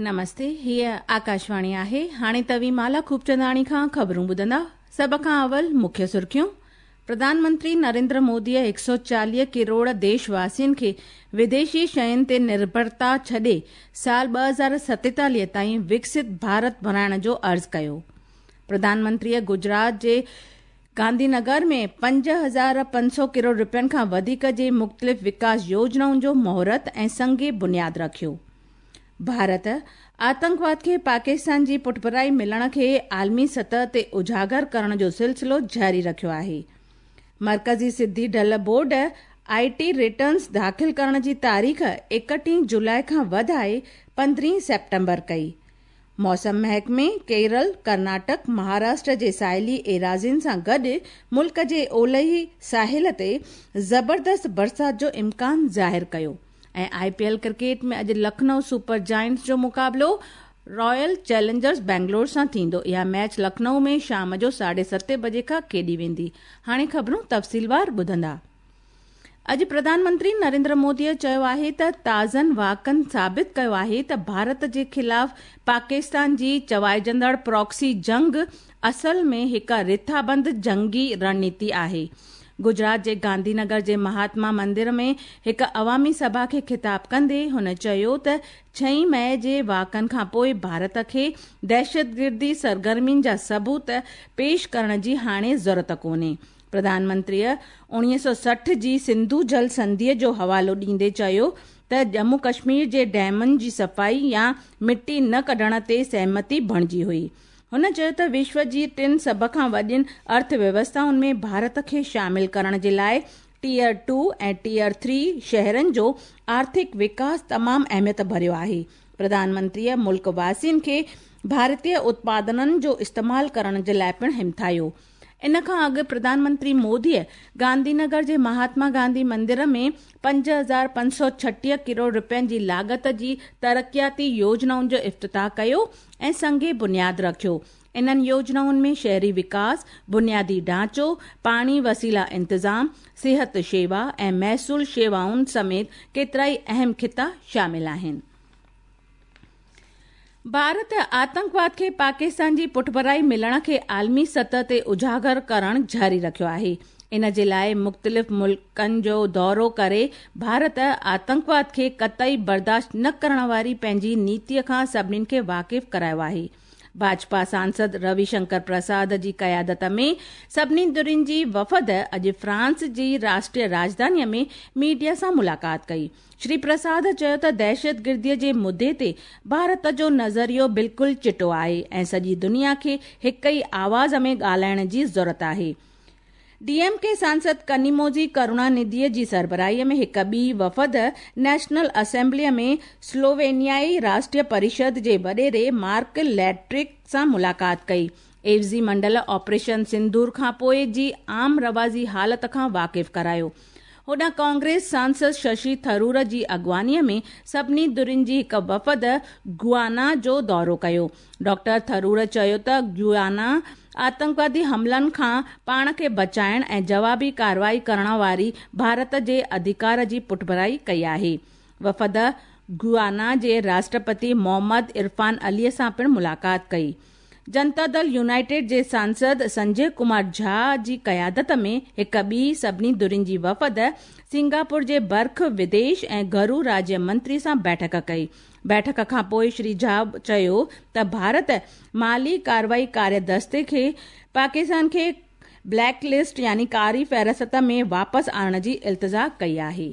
نمستي، هيء آڪاشواڻي آهي. هاڻي توهين مالا خوبچنداڻي کان خبرون ٻڌندا. سڀ کان اول مکيه سرخيون. پرڌان منتري نريندر موديء 140 ڪروڙ ديش واسين کي وديشي شين تي نرڀرتا ڇڏي سال 2047 تائين وڪست ڀارت بڻائڻ جو عرض ڪيو. پرڌان منتريء گجرات جي گانڌي نگر ۾ 5500 ڪروڙ رپين کان وڌيڪ جي مختلف وڪاس يوجنائن جو مهورت ۽ سنگ بنياد رکيو. ڀارت آتنڪواد کي پاڪستان جي پٺڀرائي ملڻ کي عالمي سطح تي اجاگر ڪرڻ جو سلسلو جاري رکيو آهي. مرڪزي سڌي ڍل بورڊ آء ٽي ريٽرنز داخل ڪرڻ جي تاريخ 31 جولاء کان وڌائي 15 سيپٽمبر ڪئي. موسم محڪمي ڪيرل، ڪرناٽڪ، مهاراشٽر جي ساحلي ايراضين سان گڏ ملڪ جي اولهي ساحل تي زبردست برسات جو امڪان ظاهر ڪيو. ۽ آء پي ايل ڪرڪيٽ ۾ اڄ لکنؤ سپر جائنٽس جو مقابلو رائل چئلينجرز بينگلور سان ٿيندو. اها ميچ لکنؤ ۾ شام جو ساڍي ستين بجي کان کيڏي ويندي. هاڻي خبرون تفصيلوار ٻڌندا. اڄ پرڌان منتري نريندر موديء چيو آهي ته تازن واقعن ثابت ڪيو آهي ته ڀارت جي خلاف پاڪستان جي چوائجندڙ پراڪسي جنگ اصل ۾ هڪ رٿابند جنگي رڻنيتي آهي. گجرات جي گانڌي نگر جي مهاتما مندر ۾ هڪ عوامي سڀا کي خطاب ڪندي هن چيو ته ڇهين مئي جي واقعن کانپوء ڀارت کي دهشتگردي سرگرمين جا ثبوت پيش ڪرڻ جي هاڻي ضرورت ڪونهي. پرڌان منتريء 1960 جي سنڌو جل سنڌيء جو حوالو ڏيندي چيو ته ڄمون ڪشمير جي ڊيمن جي صفائي يا مٽي نه ڪڍڻ تي سهمتي بڻجي هئي. هن چيو ته وشو جي ٽن سڀ کان وڏين ارٿ ويوسٿائن ۾ ڀارت کي شامل ڪرڻ جي لاء ٽيئر ٽو ۽ ٽيئر ٿري شهرن جو آرٿڪ وڪاس تمام اهميت ڀريو آهي. پرڌان منتريء ملڪ واسين کي ڀارتي اتپادنن جو استعمال ڪرڻ جي لاء پڻ همٿايو. ان کان اڳ پرڌان منتري موديء گانڌي نگر جي مهاتما گانڌي مندر ۾ 5536 ڪروڙ رپين جي لاڳت جي ترقياتي يوجنائن جو افتتاح ڪيو ۽ سنگ بنياد رکيو. انهن يوجنائن ۾ شهري وڪاس، بنيادي ڍانچو، پاڻي وسيلا انتظام، صحت شيوا ۽ محصول شيوائن سميت ڪيترائي اهم خطا شامل آهن. ڀارت آتنڪواد کي پاڪستان جي پٺڀرائي ملڻ کي عالمي سطح تي اجاگر ڪرڻ جاري رکيو آهي. ان جي لاء مختلف ملڪن جو دورو ڪري ڀارت آتنڪواد کي قطعي برداشت نه ڪرڻ واري پنهنجي نيتي کان سڀني کي واقف ڪرايو آهي. ڀاجپا سانسد روي شنڪر پرساد جي قيادت ۾ سڀني ڌرين جي وفد اڄ فرانس جي راشٽريه راڄڌاني ۾ ميڊيا سان ملاقات ڪئي. شري پرساد چيو ته دهشتگردي جي مدي تي ڀارت جو نظريو بلڪل چٽو آهي ۽ سڄي دنيا کي هڪ ئي آواز ۾ ڳالهائڻ جي ضرورت آهي. ڊي ايم ڪي سانسد ڪنيموزي ڪروڻانڌيء جي سربراهي ۾ هڪ ٻي وفد نيشنل اسيمبليء ۾ سلووينيائي راشٽريه پريشد جي وڏيري مارڪ ليٽرڪ سان ملاقات ڪئي. عيوضي منڊل آپريشن سندور کانپوء جي عام رواجي حالت کان واقف ڪرايو. هوڏانهن ڪانگريس سانسد ششي ٿرور جي اڳواڻي ۾ سڀني ڌرين جي هڪ وفد گيانا جو دورو ڪيو. ڊاڪٽر ٿرور چيو ته گيانا آتنڪوادي حملن کان پاڻ کي بچائڻ ۽ جوابي ڪارروائي ڪرڻ واري ڀارت جي اڌڪار جي پٺڀرائي ڪئي آهي. وفد گيانا جي راشٽرپتي محمد عرفان علي سان پڻ ملاقات ڪئي. جنتا دل يونائيٽيڊ جي سانسد سنجي ڪمار جها جي قيادت ۾ هڪ ٻي سڀني ڌرين جي وفد سنگاپور جي برک وديش ۽ گهرو راجيه منتري سان بيٺڪ ڪئي. بيٺڪ کان پوء شري جها چيو ته ڀارت مالي ڪارروائي ڪاري دستي کي پاڪستان کي بليڪ لسٽ يعني ڪاري فهرست ۾ واپس آڻڻ جي التجا ڪئي آهي.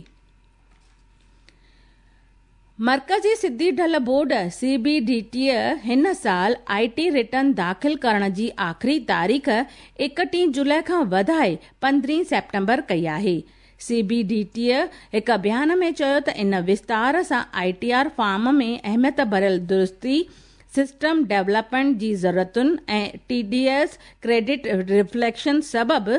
مرڪزي سڌي ڍل بورڊ، سي بي ڊي ٽي، هن سال آء ٽي ريٽرن داخل ڪرڻ جي آخري تاريخ 31 جولاء کان وڌائي 15 سيپٽمبر ڪئي آهي. سي بي ڊي ٽي هڪ بيان ۾ چيو ته ان وستار سان آء ٽي آر فارم ۾ اهميت ڀريل درستي، سسٽم ڊولپمينٽ جي ضرورتن ۽ T D S credit reflection سبب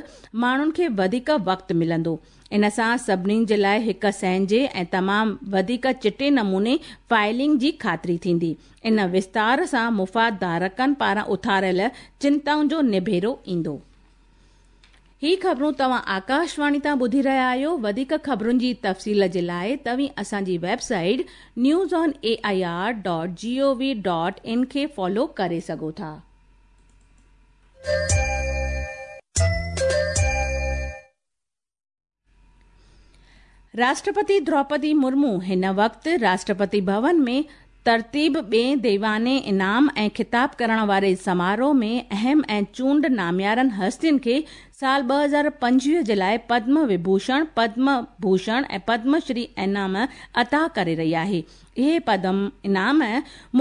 ماڻهن کي وڌيڪ وقت ملندو. ان سان سڀني جي لاء هڪ سهنجي ۽ تمام وڌيڪ چٽي نموني فائلنگ جي خاطري ٿيندي. ان وستار سان مفاد ڌارڪن پاران اٿاريل چنتائن جو نبيرو ايندو. هي خبرون توهان آڪاشواڻي تان ٻڌي رهيا آهيو. وڌيڪ خبرن جي تفصيل جي لاء توهين اسان جي website news on A I R dot G O V dot in کي فالو ڪري سگهو ٿا. راشٽرپتي دروپدي مرمو هن وقت راشٽرپتي ڀون ۾ ترتيب ٻئين ديواني انعام ۽ خطاب ڪرڻ واري سماروهه ۾ اهم ۽ چونڊ ناميارن هستين کي سال 2025 جي لاء پدم وڀوشڻ، پدم ڀوشڻ ۽ پدم شري انعام عطا ڪري رهي آهي. اهي پدم انعام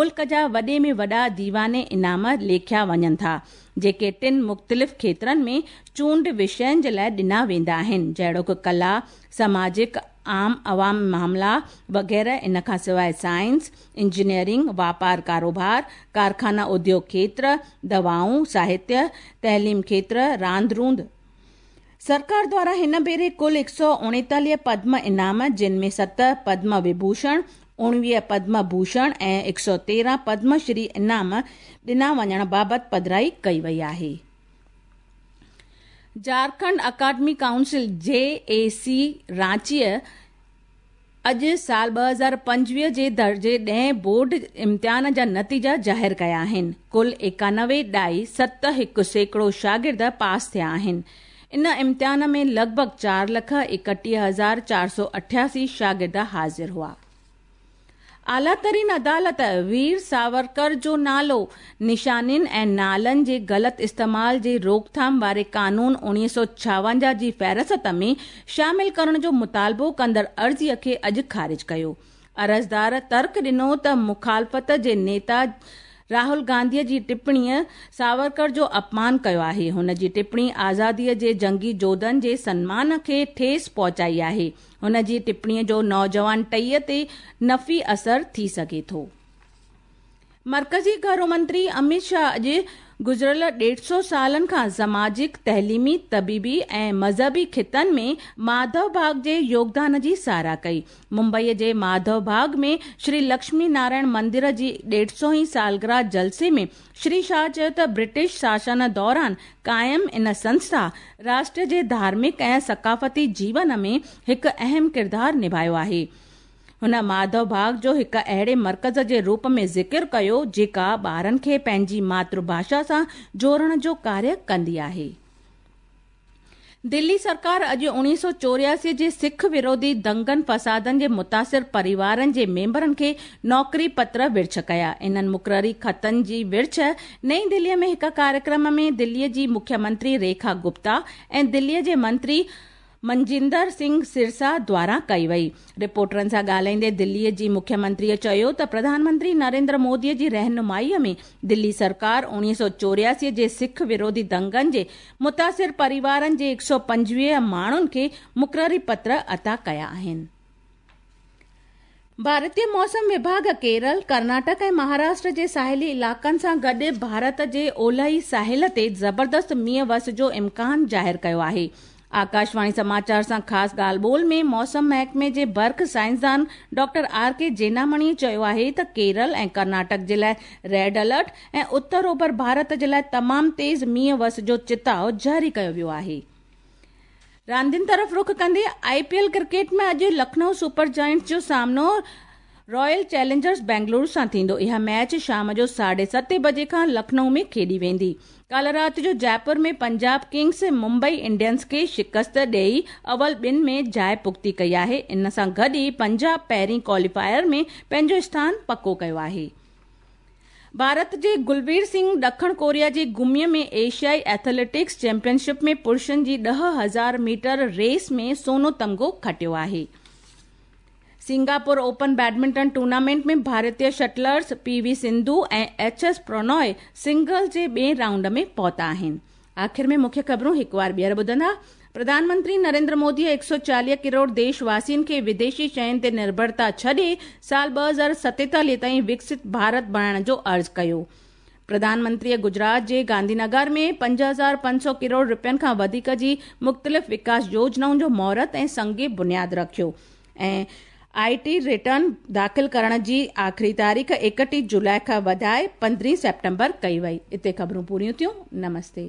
ملڪ جا وڏي ۾ وڏا ديواني انعام ليکيا وڃن ٿا، جيڪي ٽن مختلف کيترن ۾ چونڊ وشين جي لاء ڏنا ويندا آهن، جهڙوڪ ڪلا، سماجڪ، عام عوام معاملا وغيره ان کان سواء سائنس، انجنيئرنگ، واپار ڪاروبار، ڪارخانا اديوگ کيتر، دوائون، ساهتيه، تعليم کيتر، راند روند. سرڪار دواران هن ڀيري ڪل 139 پدم انعام جن ۾ ست پدم وڀوشڻ، 19 پدم ڀوشڻ ۽ 113 پدم شري انعام ڏنا وڃڻ بابت پڌرائي ڪئي وئي آهي. جهارکنڊ اڪادمي ڪائونسل، جي اي سي، رانچيء اڄ سال 2025 جي درجي ڏهين بورڊ امتحان جا نتيجا ظاهر ڪيا آهن. ڪل ايڪانوي ڏائي ست هڪ سيڪڙو شاگرد پاس ٿيا آهن. ان امتحان ۾ لڳ ڀڳ چار لک ايڪٽيهه هزار 488 شاگرد حاضر هئا. اعليٰ ترين عدالت وير ساورڪر جو نالو، نشانين ۽ نالن جي غلط استعمال جي روڪٿام واري قانون 1956 جي فهرست ۾ شامل ڪرڻ جو مطالبو ڪندڙ عرضي کي اڄ خارج ڪيو. عرضدار ترڪ ڏنو ته مخالفت جي نيتا راهول گانڌي جي ٽپڻيء ساورڪر جو اپمان ڪيو آهي. هن جي ٽپڻي آزادي جي جنگي جوڌن جي سنمان کي ٺيس پهچائي آهي. هن جي ٽپڻيء جو نوجوان ٽهيء تي نفي اثر ٿي سگهي ٿو. مرڪزي گهرو منتري اميت شاهه اڄ گذريل ڏيڍ سئو سالن کان سماجڪ، تعليمي، طبيبي ۽ مذهبي خطن ۾ ماڌو باغ جي يوگدان جي ساراهه ڪئي. ممبئي جي ماڌو باغ ۾ شري لڪشمي نارائڻ مندر جي ڏيڍ سئو هين سالگرهه جلسي ۾ شري شاهه چيو ته برٽش شاسن دوران قائم ان سنسٿا راشٽر جي ڌارمڪ ۽ ثقافتي جيون ۾ هڪ اهم ڪردار نڀايو آهي. هن ماڌو باغ جو هڪ اهڙي مرڪز جي روپ ۾ ذڪر ڪيو جيڪا ٻارن کي پنهنجي ماتر ڀاشا سان جوڙڻ جو ڪاريه ڪندي آهي. دلي سرڪار اڄ 1984 جي سک وروڌي دنگن فسادن جي متاثر پريوارن جي ميمبرن کي نوڪري پتر ورڇ ڪيا. انهن مقرري خطن جي ورڇ نئين دلي ۾ هڪ ڪاريڪرم ۾ دلي جي مکيه منتري ريکا گپتا ۽ دلي جي منتري منجندر سنگهه سرسا دواران ڪئي وئي. رپورٽرن سان ڳالهائيندي دلي جي مکيه منتري چيو ته پرڌان منتري نريندر مودي جي رهنمائي ۾ دلي سرڪار 1984 جي سک وروڌي دنگن جي متاثر پريوارن جي 125 ماڻهن کي مقرري پتر عطا ڪيا آهن. ڀارتي موسم وڀاڳ ڪيرل، ڪرناٽڪ ۽ مهاراشٽر جي ساحلي علائقن سان گڏ ڀارت جي اولهي ساحل تي زبردست مينهن وس جو امڪان ظاهر ڪيو آهي. آڪاشواڻي سماچار سان خاص ڳالهه ٻولهه ۾ موسم محڪمي جي برک سائنسدان ڊاڪٽر آر ڪي جينامڻي چيو آهي ته ڪيرل ۽ ڪرناٽڪ جي لاء ريڊ الرٽ ۽ اتر اوڀر ڀارت جي لاء تمام تيز مينهن وس جو چتاء جاري ڪيو ويو آهي. راندين طرف رخ ڪندي آء پي ايل ڪرڪيٽ ۾ اڄ لکنؤ سپر جائنٽس جو سامنو رائل چئلينجرز بينگلورو سان ٿيندو. اها ميچ شام جو ساڍي ستين بجي کان لکنؤ ۾ کيڏي ويندي. ڪالهه رات جو جئپور ۾ پنجاب ڪنگز ممبئي انڊينز کي شڪست ڏئي اول ٻن ۾ جاء پختي ڪئي آهي. ان سان گڏ ئي پنجاب پهرين ڪواليفائر ۾ پنهنجو اسٿان پڪو ڪيو آهي. ڀارت جي گلوير سنگهه ڏکڻ ڪوريا جي گمي ۾ ايشيائي ايٿليٽڪس چيمپيئن شپ ۾ پرشن جي 10,000 ميٽر ريس ۾ سونو تمغو کٽيو آهي. سنگاپور اوپن بيڊمنٽن ٽورنامينٽ ۾ ڀارتي شٽلرز P V Sindhu ۽ H S Prannoy singles جي ٻئين رائونڊ ۾ پهتا آهن. آخر ۾ مکيه خبرون هڪ وار ٻيهر ٻڌندا. پرڌان منتري نريندر مودي 140 ڪروڙ ديش واسين کي وديشي شين تي نرڀرتا ڇڏي سال 2047 تائين وڪست ڀارت بڻائڻ جو عرض ڪيو. پرڌان منتري گجرات جي گانڌي نگر ۾ 5500 ڪروڙ رپين کان وڌيڪ جي مختلف وڪاس يوجنائن جو مهورت ۽ سنگ بنياد رکيو ۽ آء ٽي ريٽرن داخل ڪرڻ جي آخري تاريخ 31 جولاء کان وڌائي 15 سيپٽمبر ڪئي وئي. اتي خبرون پوريون ٿيون. نمستي.